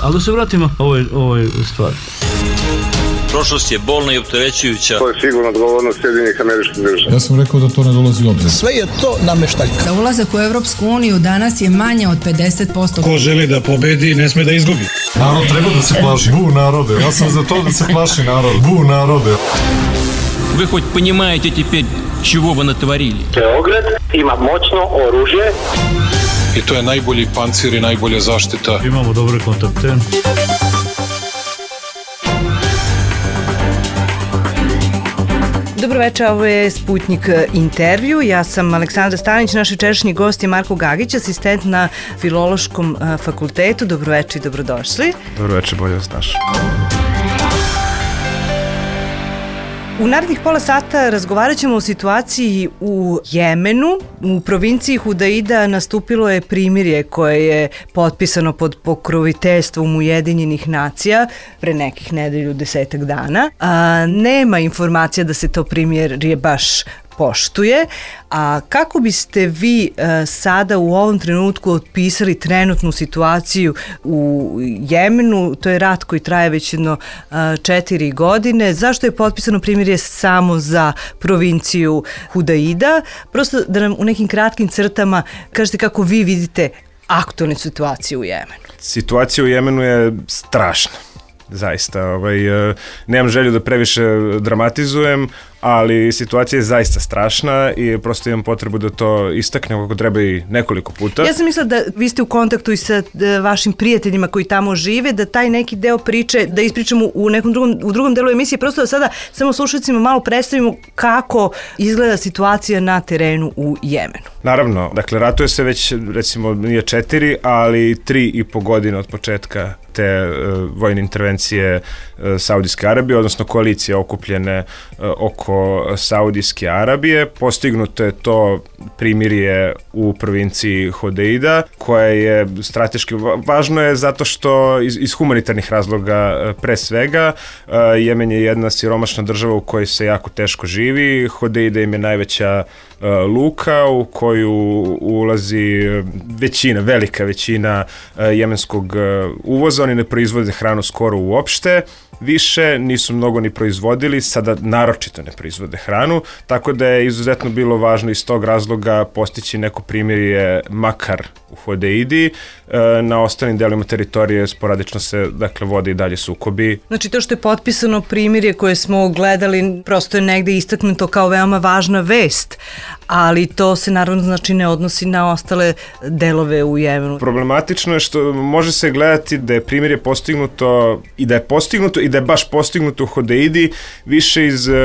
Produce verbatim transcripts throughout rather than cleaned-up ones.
Ali da se vratimo ovoj, ovoj stvari. Prošlost je bolna i opterećujuća. To je sigurno odgovornost Sjedinjenih Američkih Država. Ja sam rekao da to ne dolazi u obzir. Sve je to nameštaljka. Za ulazak u Evropsku uniju danas je manje od pedeset posto. Ko želi da pobedi, ne sme da izgubi. Narod treba da se plaši. Bu narode. Ja sam za to da se plaši narod. Bu narode. Вы хоть понимаете теперь, чего вы натворили? Beograd ima moćno oružje. I to je najbolji pancir i najbolja zaštita. Imamo dobre kontakte. Dobro večer, ovo je Sputnik intervju. Ja sam Aleksandra Stanić, naš jučerašnji gost je Marko Gagić, asistent na Filološkom fakultetu. Dobro večer i dobrodošli. Dobro večer, bolje vas naš. U narednih pola sata razgovarat ćemo o situaciji u Jemenu. U provinciji Hudaida nastupilo je primirje koje je potpisano pod pokroviteljstvom Ujedinjenih nacija pre nekih nedelju, desetak dana. A, nema informacija da se to primirje baš poštuje. A kako biste vi e, sada u ovom trenutku otpisali trenutnu situaciju u Jemenu? To je rat koji traje već jedno e, četiri godine. Zašto je potpisano primirje samo za provinciju Hudaida? Prosto da nam u nekim kratkim crtama kažete kako vi vidite aktualnu situaciju u Jemenu. Situacija u Jemenu je strašna. Zaista, ovaj, nemam želju da previše dramatizujem, ali situacija je zaista strašna i prosto imam potrebu da to istaknem kako treba i nekoliko puta. Ja sam mislila da vi ste u kontaktu i sa vašim prijateljima koji tamo žive, da taj neki deo priče, da ispričamo u nekom drugom, u drugom delu emisije, prosto da sada samo slušalcima malo predstavimo kako izgleda situacija na terenu u Jemenu. Naravno, dakle, ratuje se već, recimo, nije četiri, ali tri i po godine od početka te uh, vojne intervencije uh, Saudijske Arabije, odnosno koalicije okupljene uh, oko Saudijske Arabije. Postignuto je to primirje u provinciji Hodeida, koje je strateški važno je zato što iz, iz humanitarnih razloga pre svega. Uh, Jemen je jedna siromašna država u kojoj se jako teško živi. Hodeida im je najveća uh, luka u koju ulazi većina, velika većina uh, jemenskog uh, uvoza. Oni ne proizvode hranu skoro uopšte, više nisu mnogo ni proizvodili, sada naročito ne proizvode hranu, tako da je izuzetno bilo važno iz tog razloga postići neko primirje makar u Hodeidi. Na ostalim delima teritorije sporadično se, dakle, vode i dalje sukobi. Znači to što je potpisano primirje koje smo gledali prosto je negde istaknuto kao veoma važna vest, ali to se naravno znači ne odnosi na ostale delove u Jemenu. Problematično je što može se gledati da je primirje postignuto i da je postignuto i da je baš postignuto u Hodeidi više iz uh,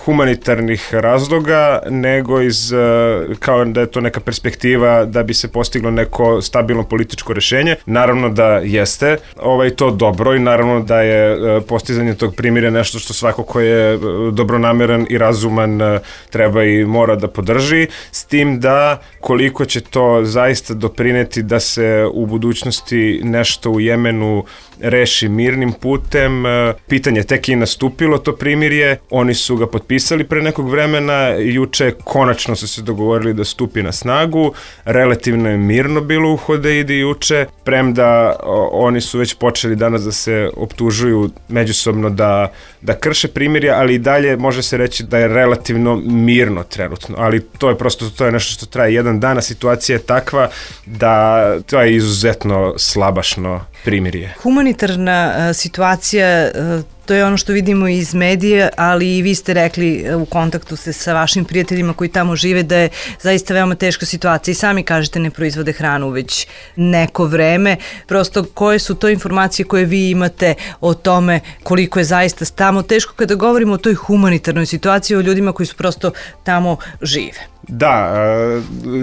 humanitarnih razloga nego iz, uh, kao da je to neka perspektiva da bi se postiglo neko stabilno političko rešenje. Naravno da jeste ovaj, to dobro i naravno da je uh, postizanje tog primirja nešto što svako ko je uh, dobronameran i razuman uh, treba i mora da podrži, s tim da koliko će to zaista doprineti da se u budućnosti nešto u Jemenu reši mirnim putem. Pitanje tek je nastupilo to primirje, oni su ga potpisali pre nekog vremena, juče konačno su se dogovorili da stupi na snagu, relativno je mirno bilo u Hodeidi juče, premda oni su već počeli danas da se optužuju međusobno da, da krše primirje, ali i dalje može se reći da je relativno mirno trenutno, ali to je prosto to je nešto što traje jedan dan, a situacija je takva da to je izuzetno slabašno primirje. Humanitarna uh, situacija, uh, to je ono što vidimo iz medija, ali i vi ste rekli uh, u kontaktu ste sa vašim prijateljima koji tamo žive da je zaista veoma teška situacija i sami kažete ne proizvode hranu već neko vreme. Prosto koje su to informacije koje vi imate o tome koliko je zaista tamo teško kada govorimo o toj humanitarnoj situaciji, o ljudima koji su prosto tamo žive? Da,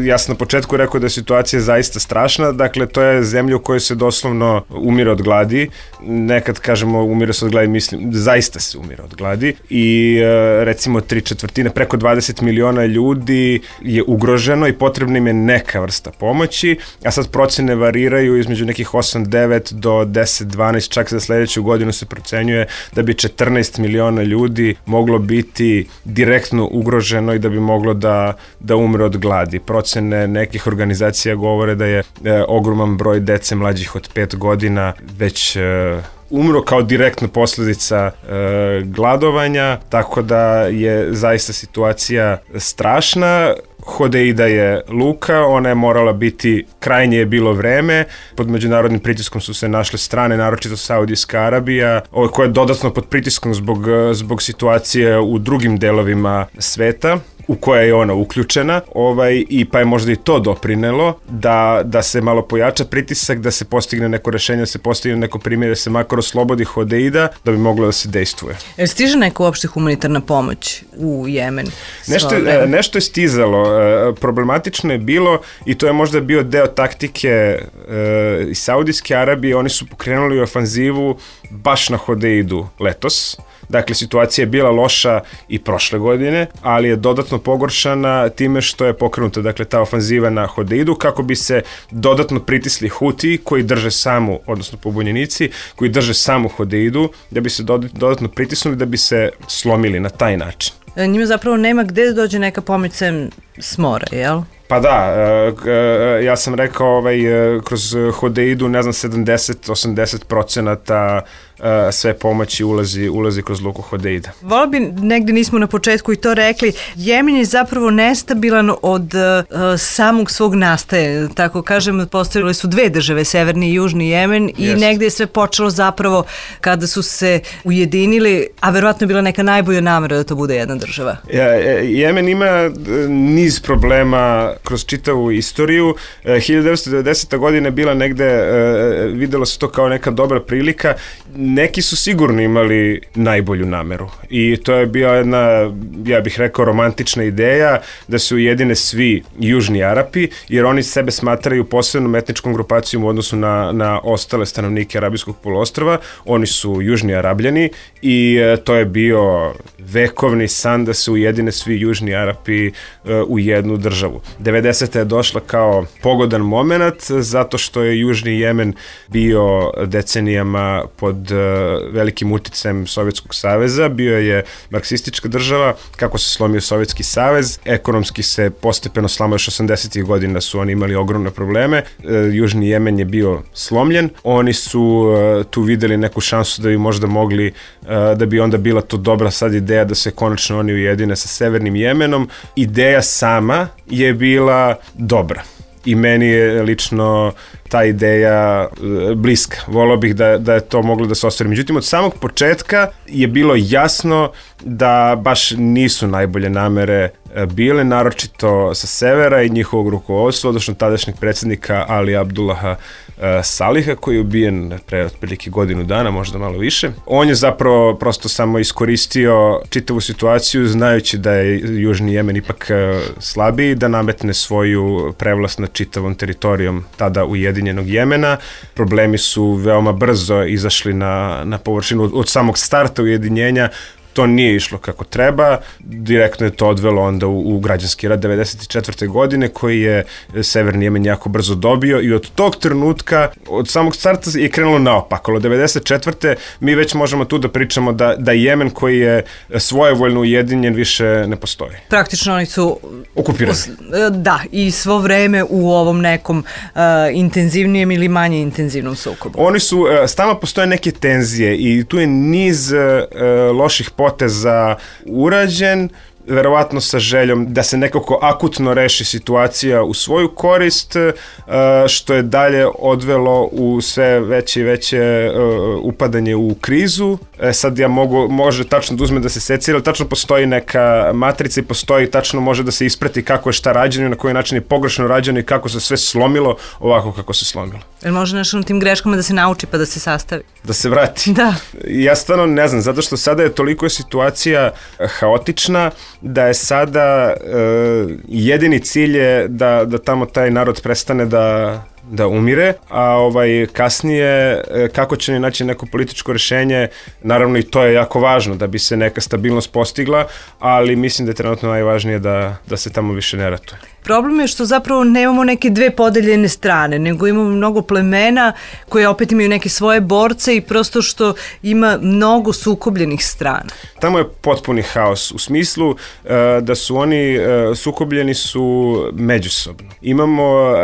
ja sam na početku rekao da je situacija zaista strašna, dakle to je zemlja u kojoj se doslovno umire od gladi, nekad kažemo umire se od gladi, mislim, zaista se umire od gladi i recimo tri četvrtine, preko dvadeset miliona ljudi je ugroženo i potrebna im je neka vrsta pomoći, a sad procene variraju između nekih osam devet do deset dvanaest, čak za sledeću godinu se procenjuje da bi četrnaest miliona ljudi moglo biti direktno ugroženo i da bi moglo da da umre od gladi. Procene nekih organizacija govore da je e, ogroman broj dece mlađih od pet godina već e, umro kao direktna posljedica e, gladovanja, tako da je zaista situacija strašna. Hodeida je luka, ona je morala biti, krajnje je bilo vreme, pod međunarodnim pritiskom su se našle strane, naročito Saudijska Arabija, koja je dodatno pod pritiskom zbog, zbog situacije u drugim delovima sveta, u koja je ona uključena, ovaj, i pa je možda i to doprinelo da, da se malo pojača pritisak, da se postigne neko rešenje, da se postigne neko primjer, da se makar oslobodi Hodeida, da bi moglo da se dejstvuje. Jer stiže neka uopšte humanitarna pomoć u Jemen? Nešto, je, nešto je stizalo. Problematično je bilo, i to je možda bio deo taktike e, iz Saudijske Arabije, oni su pokrenuli ofanzivu baš na Hodeidu letos. Dakle, situacija je bila loša i prošle godine, ali je dodatno pogoršana time što je pokrenuta, dakle, ta ofanziva na Hodeidu kako bi se dodatno pritisli Huti koji drže samu, odnosno pobunjenici, koji drže samu Hodeidu, da bi se dodatno pritisnuli, da bi se slomili na taj način. Njima zapravo nema gde da dođe neka pomoć sem s mora, jel? Pa da, ja sam rekao ovaj, kroz Hodeidu, ne znam, sedamdeset do osamdeset procenata sve pomoći ulazi, ulazi kroz luku Hodeida. Volao bi, negde nismo na početku i to rekli, Jemen je zapravo nestabilan od uh, samog svog nastaje. Tako kažem, postavili su dve države, severni i južni Jemen, i yes. negde je sve počelo zapravo kada su se ujedinili, a verovatno je bila neka najbolja namera da to bude jedna država. Ja, Jemen ima niz problema kroz čitavu istoriju. hiljadu devetsto devedeseta godina je bila negde, videlo se to kao neka dobra prilika. Neki su sigurno imali najbolju nameru i to je bila jedna, ja bih rekao, romantična ideja da se ujedine svi južni Arapi, jer oni sebe smatraju posebnom etničkom grupacijom u odnosu na, na ostale stanovnike Arabijskog poluostrva. Oni su južni Arabljani i e, to je bio vekovni san da se ujedine svi južni Arapi e, u jednu državu. devedeseta je došla kao pogodan moment zato što je južni Jemen bio decenijama pod velikim uticajem Sovjetskog saveza, bio je marksistička država. Kako se slomio Sovjetski savez, ekonomski se postepeno slomio, još osamdesetih godina su oni imali ogromne probleme, južni Jemen je bio slomljen, oni su tu videli neku šansu da bi možda mogli, da bi onda bila to dobra sad ideja da se konačno oni ujedine sa severnim Jemenom. Ideja sama je bila dobra i meni je lično ta ideja bliska. Volao bih da, da je to moglo da se ostvari. Međutim, od samog početka je bilo jasno da baš nisu najbolje namere bile, naročito sa severa i njihovog rukovodstva, odnosno tadašnjeg predsjednika Ali Abdullaha Saliha, koji je ubijen pre otprilike godinu dana, možda malo više. On je zapravo prosto samo iskoristio čitavu situaciju, znajući da je južni Jemen ipak slabiji, da nametne svoju prevlast nad čitavom teritorijom tada ujedinjenog Jemena. Problemi su veoma brzo izašli na, na površinu. Od samog starta ujedinjenja to nije išlo kako treba, direktno je to odvelo onda u, u građanski rat devedeset četvrte godine koji je severni Jemen jako brzo dobio i od tog trenutka, od samog starta je krenulo naopako. Od devedeset četvrte mi već možemo tu da pričamo da, da Jemen koji je svojevoljno ujedinjen više ne postoji. Praktično oni su okupirani. Da, i svo vreme u ovom nekom uh, intenzivnijem ili manje intenzivnom sukobu. Oni su, uh, stalno postoje neke tenzije i tu je niz uh, loših poteza urađen, verovatno sa željom da se nekako akutno reši situacija u svoju korist, što je dalje odvelo u sve veće i veće upadanje u krizu. Sad ja mogu, može tačno da uzme da se secira, ali tačno postoji neka matrica i postoji, tačno može da se isprati kako je šta rađeno, na koji način je pogrešno rađeno i kako se sve slomilo ovako kako se slomilo. Jel može nešto na tim greškama da se nauči pa da se sastavi? Da se vrati? Da. Ja stvarno ne znam, zato što sada je toliko situacija haotična da je sada uh, jedini cilj je da, da tamo taj narod prestane da da umire, a ovaj kasnije kako će naći neko političko rešenje, naravno i to je jako važno da bi se neka stabilnost postigla, ali mislim da je trenutno najvažnije da, da se tamo više ne ratuje. Problem je što zapravo nemamo neke dve podeljene strane, nego imamo mnogo plemena koje opet imaju neke svoje borce i prosto što ima mnogo sukobljenih strana. Tamo je potpuni haos u smislu uh, da su oni uh, sukobljeni su međusobno. Imamo uh,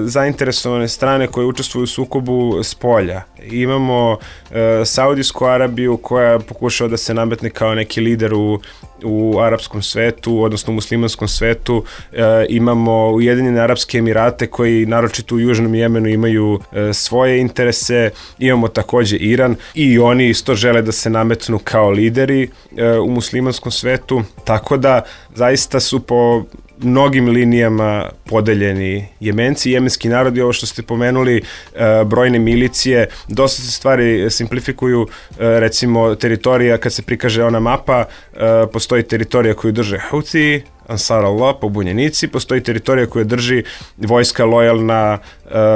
zainteresovane strane koje učestvuju u sukobu s polja. Imamo uh, Saudijsku Arabiju koja pokušava da se nametne kao neki lider u, u arapskom svetu, odnosno u muslimanskom svetu. Uh, imamo Ujedinjene Arapske Emirate koji naročito u Južnom Jemenu imaju uh, svoje interese. Imamo takođe Iran i oni isto žele da se nametnu kao lideri uh, u muslimanskom svetu. Tako da zaista su po mnogim linijama podeljeni Jemenci, jemenski narod i ovo što ste pomenuli, brojne milicije, dosta se stvari simplifikuju, recimo teritorija, kad se prikaže ona mapa, postoji teritorija koju drže Houthi, Ansar Allah, pobunjenici, postoji teritorija koju drži vojska lojalna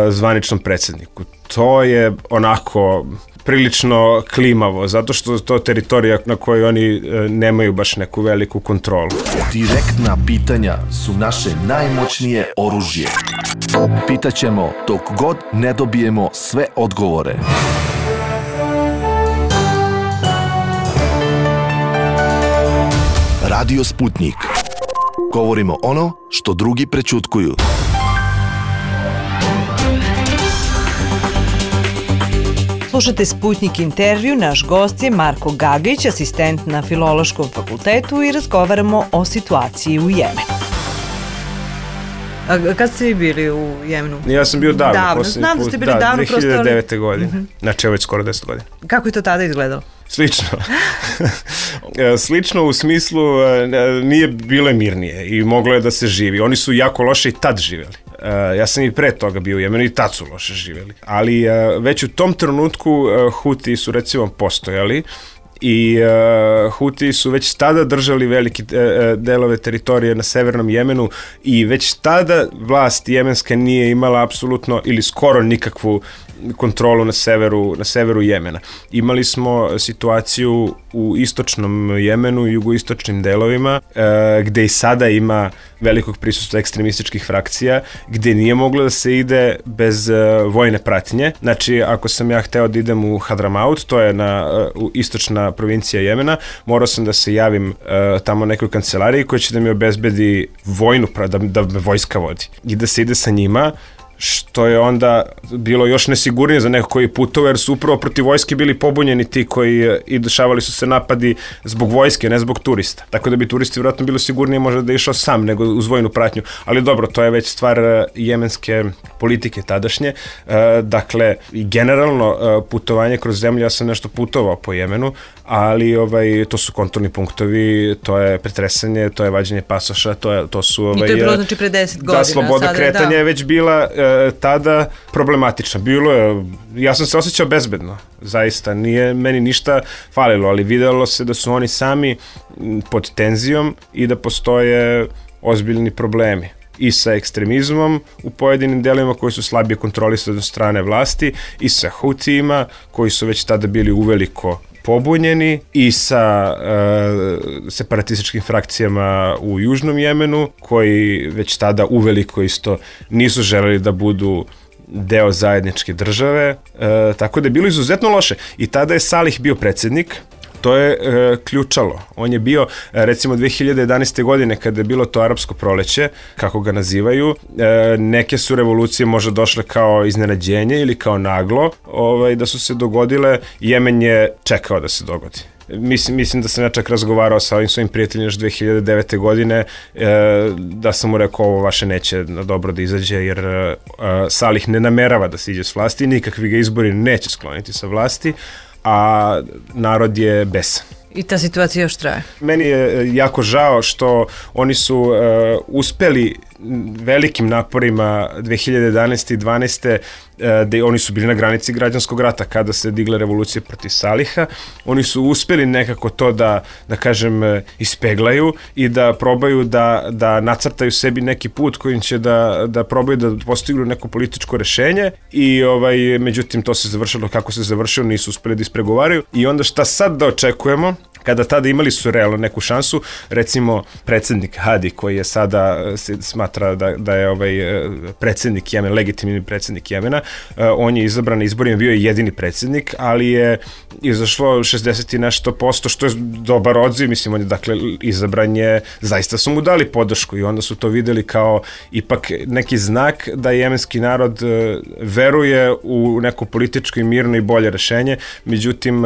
zvaničnom predsjedniku. To je onako prilično klimavo, zato što to je teritorija na kojoj oni nemaju baš neku veliku kontrolu. Direktna pitanja su naše najmoćnije oružje. Pitaćemo dok god ne dobijemo sve odgovore. Radio Sputnik. Govorimo ono što drugi prećutkuju. Slušate Sputnik intervju, naš gost je Marko Gagić, asistent na Filološkom fakultetu i razgovaramo o situaciji u Jemenu. A kad ste vi bili u Jemenu? Ja sam bio davno. Davno, znam da ste bili da, davno. dve hiljade devete. Prosto... godine, mm-hmm. Znači je već skoro deset godina. Kako je to tada izgledalo? Slično. Slično u smislu nije bilo mirnije i moglo je da se živi. Oni su jako loše i tad živjeli. Ja sam i pre toga bio u Jemenu i tad su loše živjeli. Ali već u tom trenutku Huti su recimo postojali i uh, Huti su već tada držali veliki uh, delove teritorije na severnom Jemenu i već tada vlast jemenska nije imala apsolutno ili skoro nikakvu kontrolu na severu, na severu Jemena. Imali smo situaciju u istočnom Jemenu i jugoistočnim delovima uh, gde i sada ima velikog prisustva ekstremističkih frakcija, gde nije moglo da se ide bez uh, vojne pratnje. Znači, ako sam ja hteo da idem u Hadramaut, to je na uh, istočna provincija Jemena, morao sam da se javim uh, tamo nekoj kancelariji koja će da mi obezbedi vojnu, da, da me vojska vodi. I da se ide sa njima, što je onda bilo još nesigurnije za neko koji putovao, jer su upravo protiv vojske bili pobunjeni ti koji i dešavali su se napadi zbog vojske, ne zbog turista. Tako da bi turisti vjerojatno bilo sigurnije možda da je išao sam nego uz vojnu pratnju. Ali dobro, to je već stvar jemenske politike tadašnje. Dakle, i generalno putovanje kroz zemlju, ja sam nešto putovao po Jemenu, ali ovaj, to su kontrolni punktovi, to je pretresanje, to je vađenje pasoša, to, je, to su... Ovaj, I to je bilo znači pre deset godina. Da, sloboda sada, kretanja da. je već bila e, tada problematična. Bilo je, ja sam se osjećao bezbedno, zaista, nije meni ništa falilo, ali videlo se da su oni sami pod tenzijom i da postoje ozbiljni problemi i sa ekstremizmom u pojedinim delima koji su slabije kontrolisani od strane vlasti i sa Hutijima koji su već tada bili uveliko pobunjeni i sa e, separatističkim frakcijama u Južnom Jemenu koji već tada uveliko isto nisu želeli da budu deo zajedničke države, e, tako da je bilo izuzetno loše. I tada je Salih bio predsjednik. To je e, ključalo. On je bio, e, recimo, dve hiljade jedanaeste. godine kada je bilo to arapsko proleće, kako ga nazivaju, e, neke su revolucije možda došle kao iznenađenje ili kao naglo, ovaj, da su se dogodile. Jemen je čekao da se dogodi. Mislim, mislim da sam ja čak razgovarao sa ovim svojim prijateljima još dve hiljade devete. godine, e, da sam mu rekao ovo vaše neće na dobro da izađe, jer e, Salih ne namerava da se iđe s vlasti, nikakvi ga izbori neće skloniti sa vlasti, a narod je besan. I ta situacija još traje. Meni je jako žao što oni su uh, uspeli velikim naporima dve hiljade jedanaeste i dvanaeste da oni su bili na granici građanskog rata kada se digla revolucija protiv Saliha. Oni su uspeli nekako to da, da kažem, ispeglaju i da probaju da, da nacrtaju sebi neki put kojim će da, da probaju da postignu neko političko rešenje i ovaj, međutim to se završilo kako se završilo, nisu uspeli da ispregovaraju i onda šta sad da očekujemo? Kada tada imali su realno neku šansu, recimo predsjednik Hadi koji je sada se smatra da, da je ovaj predsjednik Jemena, legitimni predsjednik Jemena, on je izabran na izborima, bio je jedini predsjednik, ali je izašlo šezdeset i nešto posto, što je dobar odziv, mislim, on je dakle izabran je, zaista su mu dali podršku i onda su to videli kao ipak neki znak da jemenski narod veruje u neko političko i mirno i bolje rešenje, međutim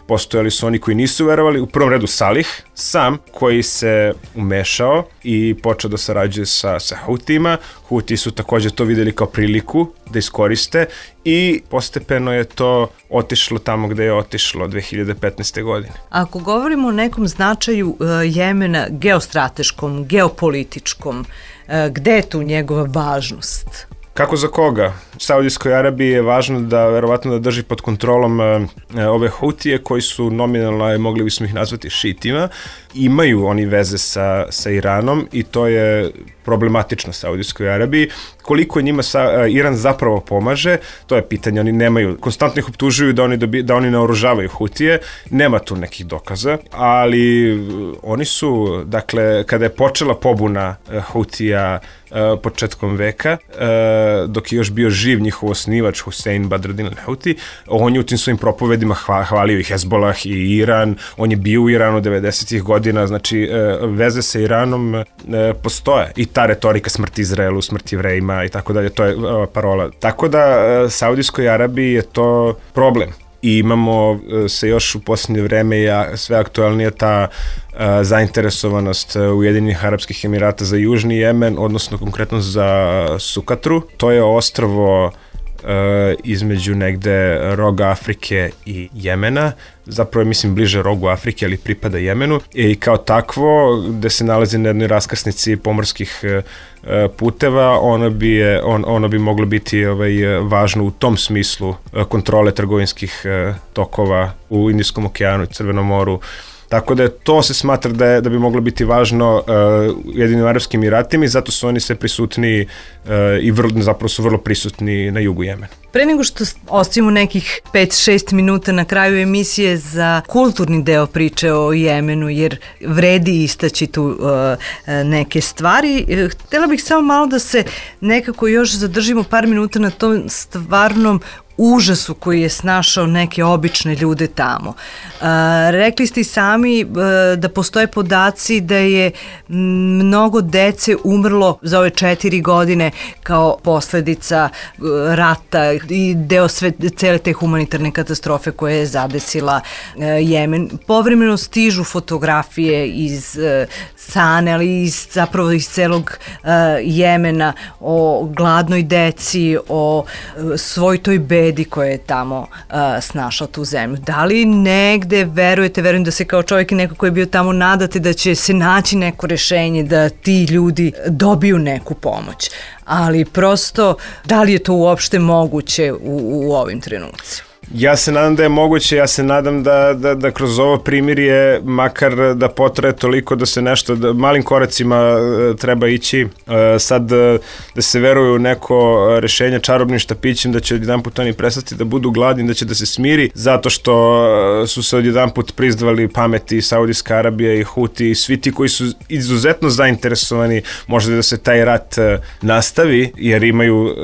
postojali su oni koji nisu verovali, u prvom redu Salih sam koji se umešao i počeo da sarađuje sa, sa Hutijima. Huti su također to videli kao priliku da iskoriste i postepeno je to otišlo tamo gde je otišlo dve hiljade petnaeste. godine. Ako govorimo o nekom značaju uh, Jemena geostrateškom, geopolitičkom, uh, gde je tu njegova važnost? Kako za koga? Saudijskoj Arabiji je važno da verovatno da drži pod kontrolom e, ove Hutije koji su nominalno, mogli bismo ih nazvati šitima, imaju oni veze sa, sa Iranom i to je problematično Saudijskoj Arabiji. Koliko njima sa, Iran zapravo pomaže, to je pitanje. Oni nemaju, konstantno ih optužuju da oni, dobi, da oni naoružavaju Hutije, nema tu nekih dokaza, ali oni su, dakle, kada je počela pobuna Hutija početkom veka, dok je još bio živ njihov osnivač Husein Badreddin al-Huti, on je u tim svojim propovedima hvalio i Hezbollah i Iran, on je bio u Iranu devedesetih godina, znači veze sa Iranom postoje i ta retorika smrti Izraelu, smrti Jevrejima i tako dalje, to je parola. Tako da Saudijskoj Arabiji je to problem. I imamo se još u posljednje vreme ja, sve aktualnija ta uh, zainteresovanost Ujedinjenih Arapskih Emirata za Južni Jemen, odnosno konkretno za Sukatru. To je ostrvo uh, između negde roga Afrike i Jemena, zapravo je mislim bliže rogu Afrike, ali pripada Jemenu i kao takvo gde se nalazi na jednoj raskrsnici pomorskih uh, puteva, ono bi, je, on, ono bi moglo biti ovaj, važno u tom smislu kontrole trgovinskih tokova u Indijskom okeanu i Crvenom moru. Tako da to se smatra da, je, da bi moglo biti važno uh, Ujedinim Arapskim Emiratima i zato su oni sve prisutni uh, i vrlo, zapravo su vrlo prisutni na jugu Jemena. Pre nego što ostavimo nekih pet šest minuta na kraju emisije za kulturni deo priče o Jemenu, jer vredi istaći tu uh, neke stvari, htjela bih samo malo da se nekako još zadržimo par minuta na tom stvarnom užasu koji je snašao neke obične ljude tamo. Uh, rekli ste i sami uh, da postoje podaci da je mnogo dece umrlo za ove četiri godine kao posledica uh, rata i deo sve, cele te humanitarne katastrofe koje je zadesila uh, Jemen. Povremeno stižu fotografije iz uh, Sane, ali iz, zapravo iz celog uh, Jemena o gladnoj deci, o uh, svoj toj bedi koja je tamo uh, snašla tu zemlju. Da li negde verujete, verujem da se kao čovjek i neko koji je bio tamo nadate da će se naći neko rešenje da ti ljudi dobiju neku pomoć, ali prosto da li je to uopšte moguće u, u ovim trenucima? Ja se nadam da je moguće, ja se nadam da, da, da kroz ovo primirje makar da potraje toliko da se nešto, da malim koracima treba ići, sad da se veruje u neko rešenje čarobnim štapićem, da će odjedan put oni prestati da budu gladni, da će da se smiri, zato što su se odjedan put prizdvali pameti Saudijska Arabija i Huti i svi ti koji su izuzetno zainteresovani možda da se taj rat nastavi, jer imaju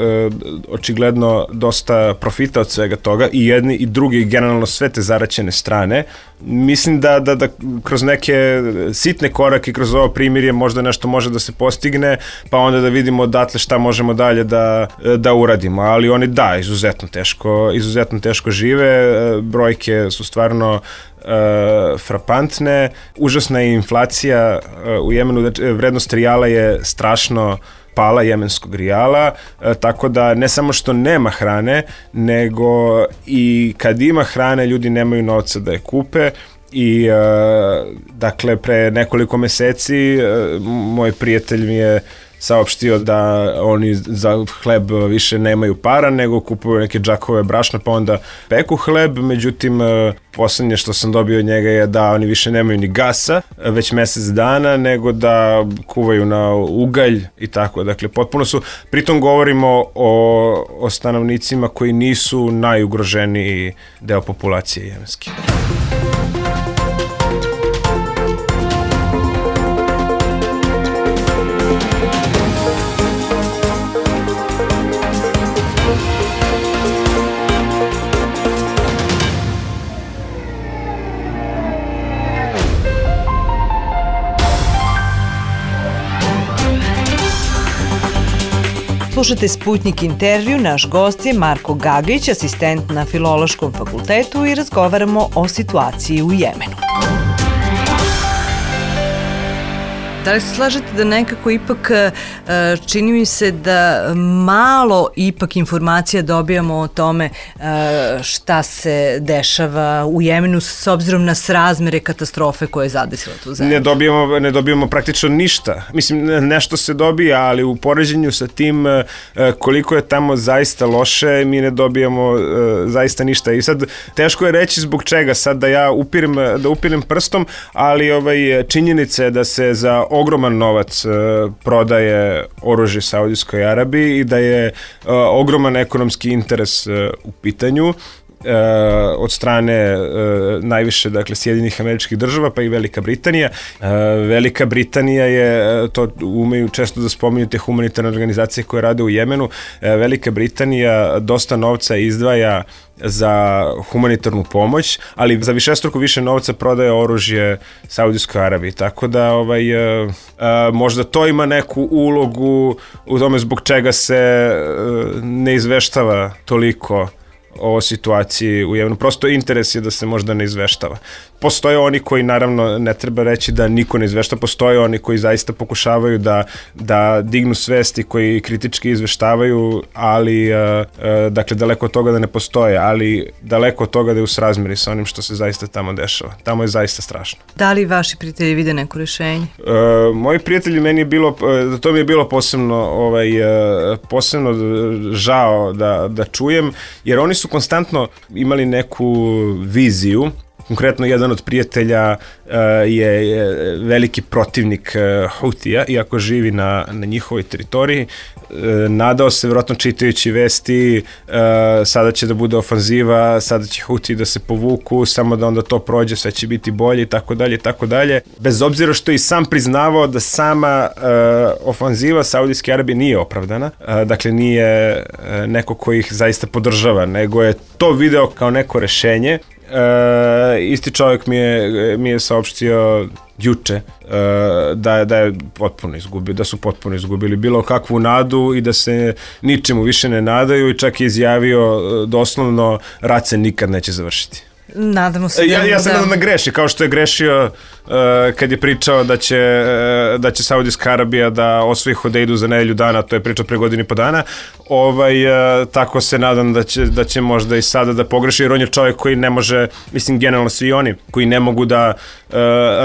očigledno dosta profita od svega toga i jedni i drugi, generalno sve te zaraćene strane. Mislim da, da, da kroz neke sitne korake, kroz ovo primirje možda nešto može da se postigne, pa onda da vidimo odatle šta možemo dalje da, da uradimo. Ali oni da, izuzetno teško, izuzetno teško žive, brojke su stvarno Uh, frapantne, užasna je inflacija uh, u Jemenu, vrednost rijala je strašno pala, jemenskog rijala, e, tako da ne samo što nema hrane, nego i kad ima hrane ljudi nemaju novca da je kupe i e, dakle pre nekoliko meseci e, moj prijatelj mi je saopštio da oni za hleb više nemaju para, nego kupuju neke džakove brašna pa onda peku hleb, međutim poslednje što sam dobio od njega je da oni više nemaju ni gasa već mesec dana, nego da kuvaju na ugalj i tako. Dakle, potpuno su, pritom govorimo o, o stanovnicima koji nisu najugroženiji deo populacije jemenske. Slušajte Sputnik intervju, naš gost je Marko Gagić, asistent na Filološkom fakultetu i razgovaramo o situaciji u Jemenu. Da li se slažete da nekako ipak čini mi se da malo ipak informacija dobijamo o tome šta se dešava u Jemenu s obzirom na srazmere katastrofe koje je zadesila tu zemlju? Ne dobijamo, ne dobijamo praktično ništa. Mislim, nešto se dobija, ali u poređenju sa tim koliko je tamo zaista loše, mi ne dobijamo zaista ništa. I sad, teško je reći zbog čega sad da ja upirem, da upirem prstom, ali ovaj, činjenica je da se za ogroman novac uh, prodaje oružje Saudijskoj Arabiji i da je uh, ogroman ekonomski interes uh, u pitanju. Uh, od strane uh, najviše, dakle, Sjedinjenih Američkih Država pa i Velika Britanija. Uh, Velika Britanija je, uh, to umeju često da spominju te humanitarne organizacije koje rade u Jemenu, uh, Velika Britanija dosta novca izdvaja za humanitarnu pomoć, ali za višestruko više novca prodaje oružje Saudijskoj Arabiji, tako da ovaj, uh, uh, možda to ima neku ulogu u tome zbog čega se uh, ne izveštava toliko o situaciji u Jemenu. Prosto interes je da se možda ne izveštava. Postoje oni koji, naravno, ne treba reći da niko ne izvešta, postoje oni koji zaista pokušavaju da, da dignu svesti, koji kritički izveštavaju, ali, uh, uh, dakle, daleko od toga da ne postoje, ali daleko od toga da je u srazmeri sa onim što se zaista tamo dešava. Tamo je zaista strašno. Da li vaši prijatelji vide neko rešenje? Uh, moji prijatelji, meni je bilo, uh, to mi je bilo posebno, ovaj, uh, posebno žao da, da čujem, jer oni su konstantno imali neku viziju. Konkretno, jedan od prijatelja uh, je, je veliki protivnik uh, Hutija, iako živi na, na njihovoj teritoriji. Uh, nadao se, vjerojatno čitajući vesti, uh, sada će da bude ofanziva, sada će Huti da se povuku, samo da onda to prođe, sve će biti bolje i tako dalje i tako dalje. Bez obzira što i sam priznavao da sama uh, ofanziva Saudijske Arabije nije opravdana, uh, dakle nije uh, neko koji ih zaista podržava, nego je to video kao neko rešenje. Uh, isti čovjek mi je, mi je saopštio juče uh, da, da je potpuno izgubio, da su potpuno izgubili bilo kakvu nadu i da se ničemu više ne nadaju i čak je izjavio uh, doslovno rat se nikad neće završiti. Nadamo se da... Ja, ja sam nadam da greši, kao što je grešio uh, kad je pričao da će, uh, da će Saudijska Arabija da osvoji Hodeidu za nedelju dana, to je pričao pre godinu i po dana, ovaj, uh, tako se nadam da će, da će možda i sada da pogreši, jer on je čovjek koji ne može, mislim generalno svi oni, koji ne mogu da uh,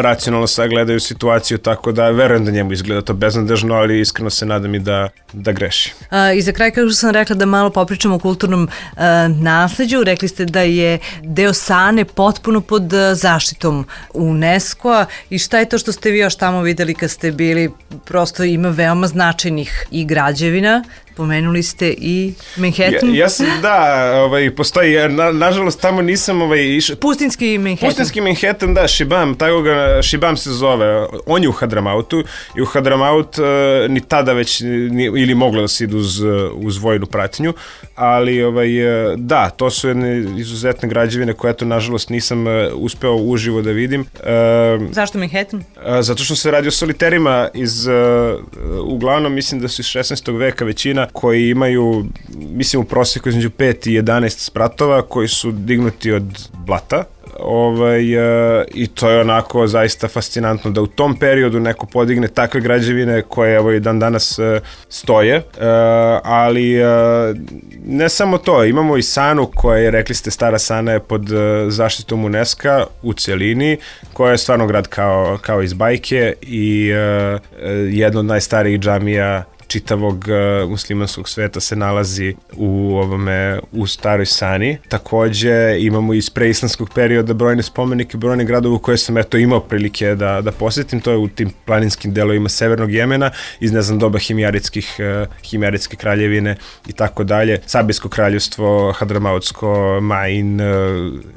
racionalno sagledaju situaciju, tako da verujem da njemu izgleda to beznadežno, ali iskreno se nadam i da, da greši. Uh, I za kraj, kao što sam rekla, da malo popričamo o kulturnom uh, nasleđu, rekli ste da je deo Sane potpuno pod zaštitom UNESCO-a i šta je to što ste vi još tamo videli kad ste bili? Prosto ima veoma značajnih i građevina. Pomenuli ste i Manhattan. Ja, ja sam, da, ovaj, postoji, na, nažalost tamo nisam ovaj, išao. Pustinski Manhattan. Pustinski Manhattan, da, Šibam, tako ga, Šibam se zove. On je u Hadramautu i u Hadramaut uh, ni tada već ni, ili moglo da se ide uz, uz vojnu pratnju, ali ovaj, da, to su jedne izuzetne građevine koje, eto, nažalost nisam uh, uspeo uživo da vidim. Uh, Zašto Manhattan? Uh, zato što se radi o soliterima iz, uh, uglavnom, mislim da su iz šesnaestog veka većina, koji imaju, mislim, u prosjeku između pet i jedanaest spratova koji su dignuti od blata. Uh, ovaj, uh, i to je onako zaista fascinantno da u tom periodu neko podigne takve građevine koje evo i dan danas uh, stoje, uh, ali uh, ne samo to, imamo i Sanu koja je, rekli ste, Stara Sana je pod uh, zaštitom UNESCO u celini, koja je stvarno grad kao, kao iz bajke i uh, jedna od najstarijih džamija čitavog uh, muslimanskog sveta se nalazi u ovome u Staroj Sani. Takođe imamo iz preislamskog perioda brojne spomenike, brojne gradove koje sam eto imao prilike da, da posjetim, to je u tim planinskim delovima severnog Jemena, iz ne znam doba himjaritskih, uh, himjaritske kraljevine i tako dalje, Sabijsko kraljevstvo, Hadramautsko, Main, uh,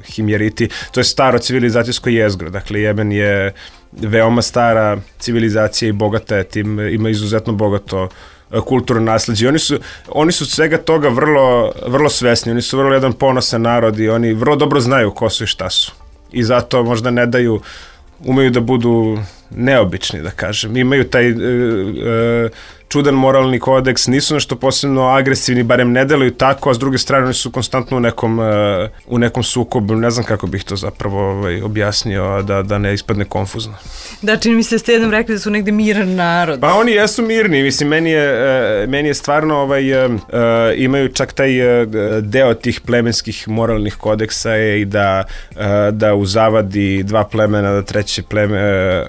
Himjariti, to je staro civilizacijsko jezgro, dakle Jemen je veoma stara civilizacija i bogata je tim, ima izuzetno bogato kulturno nasleđe. Oni su, oni su svega toga vrlo, vrlo svesni, oni su vrlo jedan ponosan narod i oni vrlo dobro znaju ko su i šta su. I zato možda ne daju, umeju da budu neobični, da kažem. Imaju taj e, e, čudan moralni kodeks, nisu nešto posebno agresivni, barem ne deluju tako, a s druge strane oni su konstantno u nekom, uh, u nekom sukobu, ne znam kako bih to zapravo ovaj, objasnio, da, da ne ispadne konfuzno. Da, čini mi se ste jednom rekli da su negde miran narod. Pa oni jesu mirni, mislim, meni je, uh, meni je stvarno, ovaj, uh, imaju čak taj uh, deo tih plemenskih moralnih kodeksa je i da, uh, da u zavadi dva plemena, da treće pleme uh,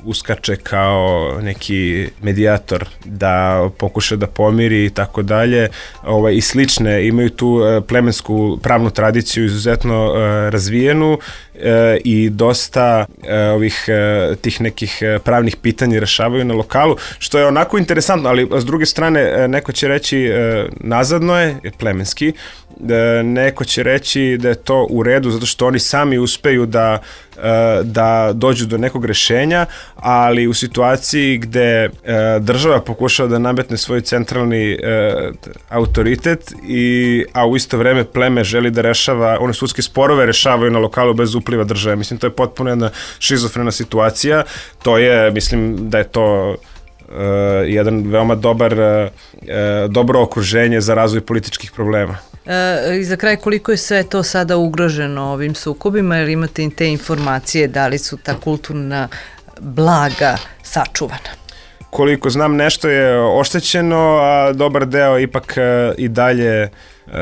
uskače kao neki medijator, da pokuša da pomiri i tako dalje, ovaj, i slične, imaju tu plemensku pravnu tradiciju izuzetno uh, razvijenu uh, i dosta uh, ovih uh, tih nekih pravnih pitanja rešavaju na lokalu, što je onako interesantno, ali s druge strane neko će reći uh, nazadno je, je plemenski, da neko će reći da je to u redu zato što oni sami uspeju da, da dođu do nekog rešenja, ali u situaciji gde država pokušava da nametne svoj centralni autoritet, i, a u isto vreme pleme želi da rešava, one sudske sporove rešavaju na lokalu bez upliva države. Mislim, to je potpuno jedna šizofrena situacija. To je, mislim da je to Uh, jedan veoma dobar, uh, dobro okruženje za razvoj političkih problema. E, I za kraj, koliko je sve to sada ugroženo ovim sukobima, jer imate te informacije da li su ta kulturna blaga sačuvana? Koliko znam, nešto je oštećeno, a dobar deo ipak uh, i dalje uh,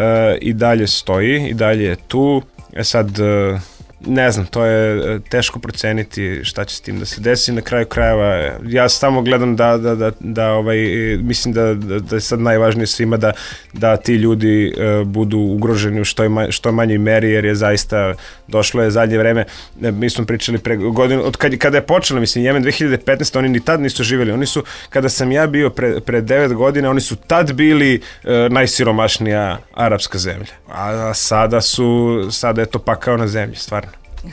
i dalje stoji, i dalje je tu. E sad, uh, ne znam, to je teško proceniti šta će s tim da se desi. Na kraju krajeva, ja samo gledam da, da, da, da ovaj, mislim da, da, da je sad najvažnije svima da, da ti ljudi uh, budu ugroženi u što, je ma, što manjoj meri, jer je zaista došlo je zadnje vreme, mi smo pričali pre godinu, od kad, kada je počelo, mislim, Jemen dve hiljade petnaeste. oni ni tad nisu živjeli, oni su, kada sam ja bio pre, pre devet godina, oni su tad bili uh, najsiromašnija arapska zemlja, a sada su, sada je to pakao na zemlji, stvarno.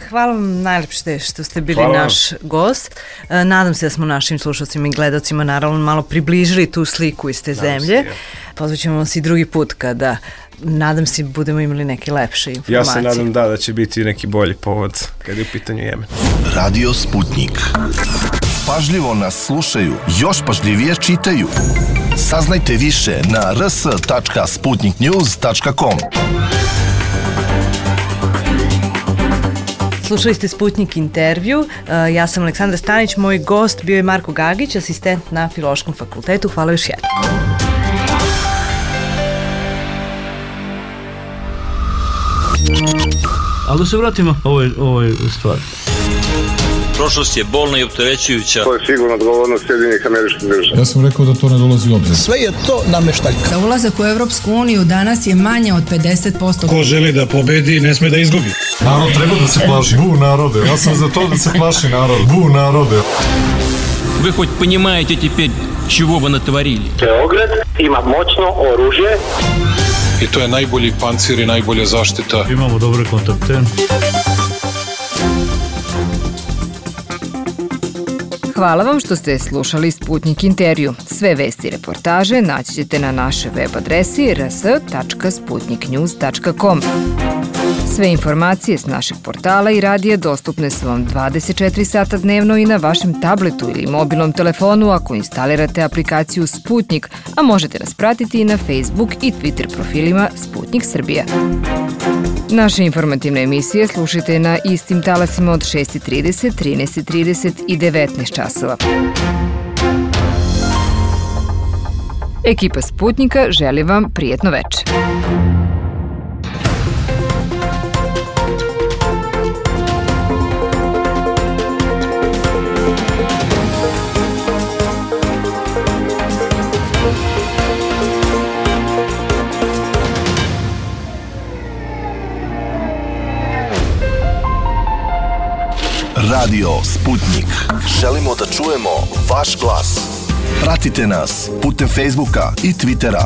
Hvala vam najlepše što ste bili Hvala naš gost. Nadam se da smo našim slušalcima i gledalcima naravno malo približili tu sliku iz te zemlje. Se, ja. Pozvaćemo vas i drugi put kada, nadam se, budemo imali neke lepše informacije. Ja se nadam da, da će biti neki bolji povod kada je u pitanju Jemen. Radio Sputnik. Pažljivo nas slušaju, još pažljivije čitaju. Saznajte više na r s tačka sputnik news tačka com. Slušali ste Sputnik intervju, ja sam Aleksandra Stanić, moj gost bio je Marko Gagić, asistent na Filološkom fakultetu. Hvala još jednom. Ali da se vratimo ovoj, ovoj stvari. Prošlost je bolna i opterećujuća. To je sigurno odgovornost Sjedinjenih Američkih Država. Ja sam rekao da to ne dolazi u obzir. Sve je to nameštaljka. Za ulazak u Evropsku uniju danas je manje od pedeset posto. Ko želi da pobedi, ne sme da izgubi. Narod treba da se plaši. Bu narode. Ja sam za to da se plaši narod. Bu narode. Вы хоть понимаете теперь, чего вы натворили? Beograd ima moćno oružje. I to je najbolji pancir i najbolja zaštita. Imamo dobre kontakte. Hvala vam što ste slušali Sputnik intervju. Sve vesti i reportaže naći ćete na našoj web adresi r s tačka sputnik news tačka com. Sve informacije s našeg portala i radija dostupne su vam dvadeset četiri sata dnevno i na vašem tabletu ili mobilnom telefonu ako instalirate aplikaciju Sputnik, a možete nas pratiti i na Facebook i Twitter profilima Sputnik Srbija. Naše informativne emisije slušajte na istim talasima od šest i trideset, trinaest i trideset i devetnaest časova. Ekipa Sputnika želi vam prijetno veče. Radio Sputnik. Želimo da čujemo vaš glas. Pratite nas putem Facebooka i Twittera.